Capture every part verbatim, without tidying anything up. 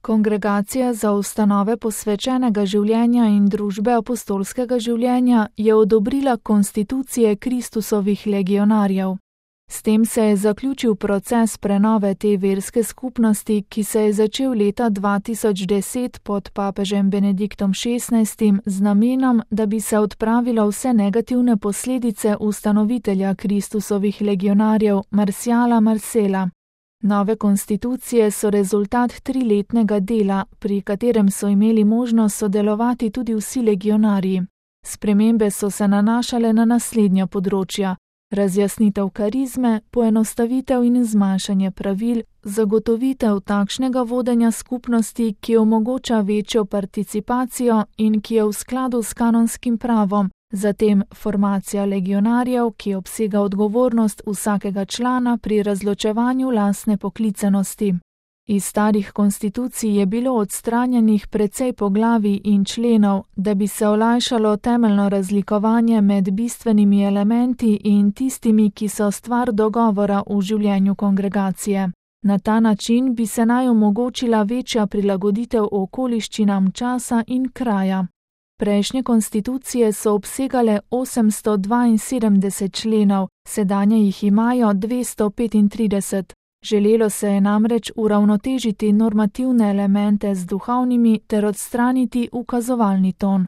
Kongregacija za ustanove posvečenega življenja in družbe apostolskega življenja je odobrila konstitucije Kristusovih legionarjev. S tem se je zaključil proces prenove te verske skupnosti, ki se je začel leta dva tisoč deset pod papežem Benediktom šestnajstim z namenom, da bi se odpravilo vse negativne posledice ustanovitelja Kristusovih legionarjev Marciala Marcela. Nove konstitucije so rezultat triletnega dela, pri katerem so imeli možnost sodelovati tudi vsi legionarji. Spremembe so se nanašale na naslednja področja: razjasnitev karizme, poenostavitev in zmanjšanje pravil, zagotovitev takšnega vodenja skupnosti, ki omogoča večjo participacijo in ki je v skladu s kanonskim pravom, zatem formacija legionarjev, ki obsega odgovornost vsakega člana pri razločevanju lastne poklicanosti. Iz starih konstitucij je bilo odstranjenih precej poglavij in členov, da bi se olajšalo temeljno razlikovanje med bistvenimi elementi in tistimi, ki so stvar dogovora v življenju kongregacije. Na ta način bi se naj omogočila večja prilagoditev okoliščinam časa in kraja. Prejšnje konstitucije so obsegale osemsto dvainsedemdeset členov, sedanje jih imajo dvesto petintrideset. Želelo se je namreč uravnotežiti normativne elemente z duhovnimi ter odstraniti ukazovalni ton.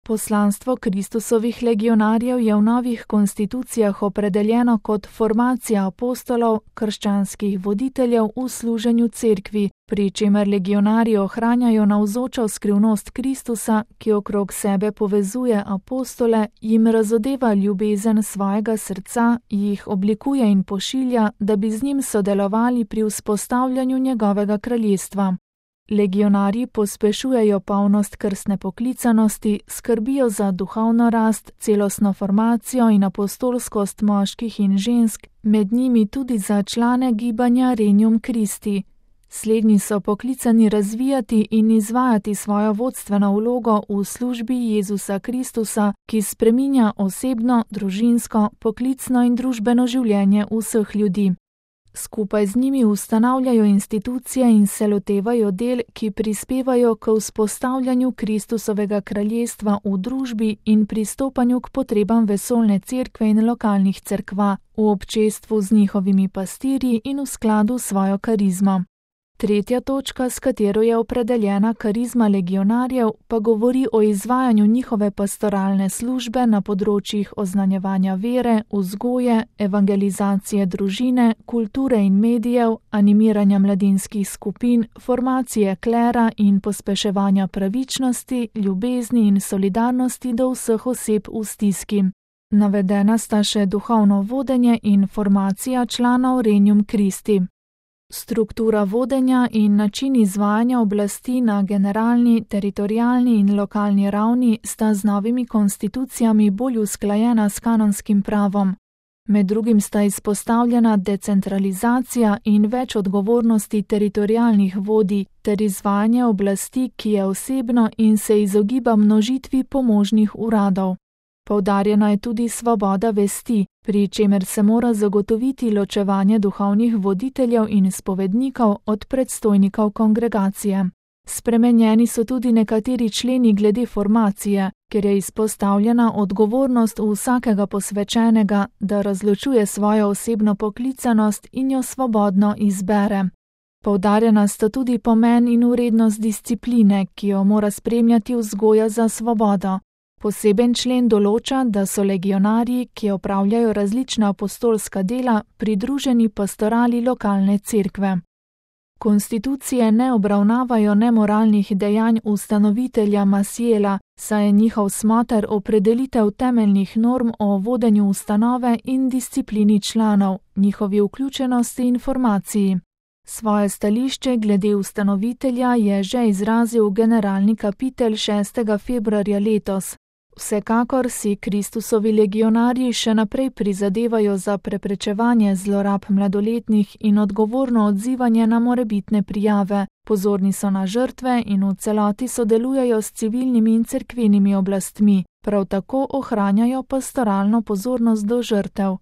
Poslanstvo Kristusovih legionarjev je v novih konstitucijah opredeljeno kot formacija apostolov, krščanskih voditeljev v služenju cerkvi, pri čemer legionarji ohranjajo navzočo skrivnost Kristusa, ki okrog sebe povezuje apostole, jim razodeva ljubezen svojega srca, jih oblikuje in pošilja, da bi z njim sodelovali pri vzpostavljanju njegovega kraljestva. Legionarji pospešujejo polnost krstne poklicanosti, skrbijo za duhovno rast, celostno formacijo in apostolskost moških in žensk, med njimi tudi za člane gibanja Regnum Christi. Slednji so poklicani razvijati in izvajati svojo vodstveno vlogo v službi Jezusa Kristusa, ki spreminja osebno, družinsko, poklicno in družbeno življenje vseh ljudi. Skupaj z njimi ustanavljajo institucije in se lotevajo del, ki prispevajo k vzpostavljanju Kristusovega kraljestva v družbi in pristopanju k potrebam vesoljne cerkve in lokalnih cerkva, v občestvu z njihovimi pastirji in v skladu s svojo karizmo. Tretja točka, s katero je opredeljena karizma legionarjev, pa govori o izvajanju njihove pastoralne službe na področjih oznanjevanja vere, vzgoje, evangelizacije družine, kulture in medijev, animiranja mladinskih skupin, formacije klera in pospeševanja pravičnosti, ljubezni in solidarnosti do vseh oseb v stiski. Navedena sta še duhovno vodenje in formacija članov Regnum Christi. Struktura vodenja in način izvajanja oblasti na generalni, teritorialni in lokalni ravni sta z novimi konstitucijami bolj usklajena s kanonskim pravom. Med drugim sta izpostavljena decentralizacija in več odgovornosti teritorialnih vodij ter izvajanje oblasti, ki je osebno in se izogiba množitvi pomožnih uradov. Poudarjena je tudi svoboda vesti, pri čemer se mora zagotoviti ločevanje duhovnih voditeljev in spovednikov od predstojnikov kongregacije. Spremenjeni so tudi nekateri členi glede formacije, ker je izpostavljena odgovornost vsakega posvečenega, da razločuje svojo osebno poklicanost in jo svobodno izbere. Poudarjena sta tudi pomen in vrednost discipline, ki jo mora spremljati vzgoja za svobodo. Poseben člen določa, da so legionarji, ki opravljajo različna apostolska dela, pridruženi pastorali lokalne cerkve. Konstitucije ne obravnavajo nemoralnih dejanj ustanovitelja Maciela, saj je njihov smoter opredelitev temeljnih norm o vodenju ustanove in disciplini članov, njihovi vključenosti in formaciji. Svoje stališče glede ustanovitelja je že izrazil generalni kapitelj šestega februarja letos. Vsekakor si Kristusovi legionarji še naprej prizadevajo za preprečevanje zlorab mladoletnih in odgovorno odzivanje na morebitne prijave, pozorni so na žrtve in v celoti sodelujejo s civilnimi in cerkvenimi oblastmi, prav tako ohranjajo pastoralno pozornost do žrtev.